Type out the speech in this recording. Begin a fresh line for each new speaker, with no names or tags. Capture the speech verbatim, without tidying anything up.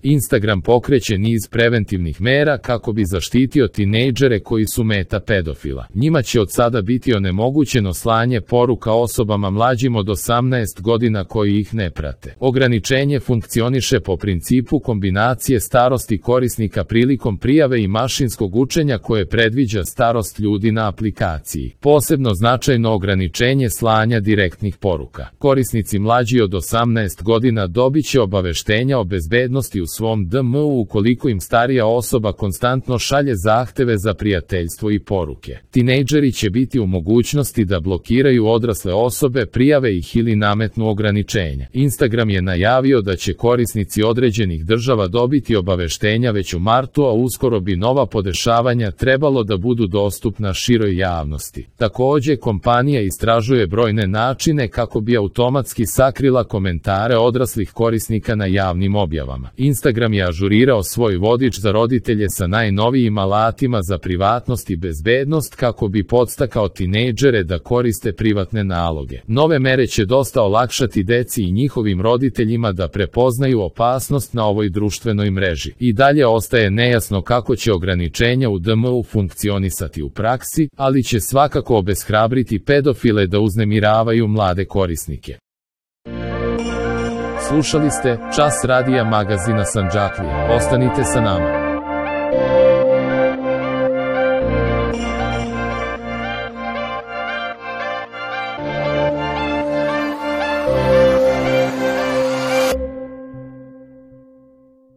Instagram pokreće niz preventivnih mera kako bi zaštitio tinejdžere koji su meta pedofila. Njima će od sada biti onemogućeno slanje poruka osobama mlađim od osamnaest godina koji ih ne prate. Ograničenje funkcioniše po principu kombinacije starosti korisnika prilikom prijave i mašinskog učenja koje predviđa starost ljudi na aplikaciji. Posebno značajno ograničenje slanja direktnih poruka. Korisnici mlađi od osamnaest godina dobit će obaveštenja o bezbednosti u svom D M U ukoliko im starija osoba konstantno šalje zahteve za prijateljstvo i poruke. Tinejdžeri će biti u mogućnosti da blokiraju odrasle osobe, prijave ih ili nametnu ograničenja. Instagram je najavio da će korisnici određenih država dobiti obaveštenja već u martu, a uskoro bi nova podešavanja trebalo da budu dostupna široj javnosti. Takođe, kompanija istražuje brojne načine kako bi automatski sakrila komentare odraslih korisnika na javnim objavama. Instagram je ažurirao svoj vodič za roditelje sa najnovijim alatima za privatnost i bezbednost kako bi podstakao tinejdžere da koriste privatne naloge. Nove mere će dosta olakšati deci i njihovim roditeljima da prepoznaju opasnost na ovoj društvenoj mreži. I dalje ostaje nejasno kako će ograničenja u D M U funkcionisati u praksi, ali će svakako obeshrabriti pedofile da uznemiravaju mlade korisnike. Slušali ste Čas radija magazina Sandžaklija. Ostanite sa nama.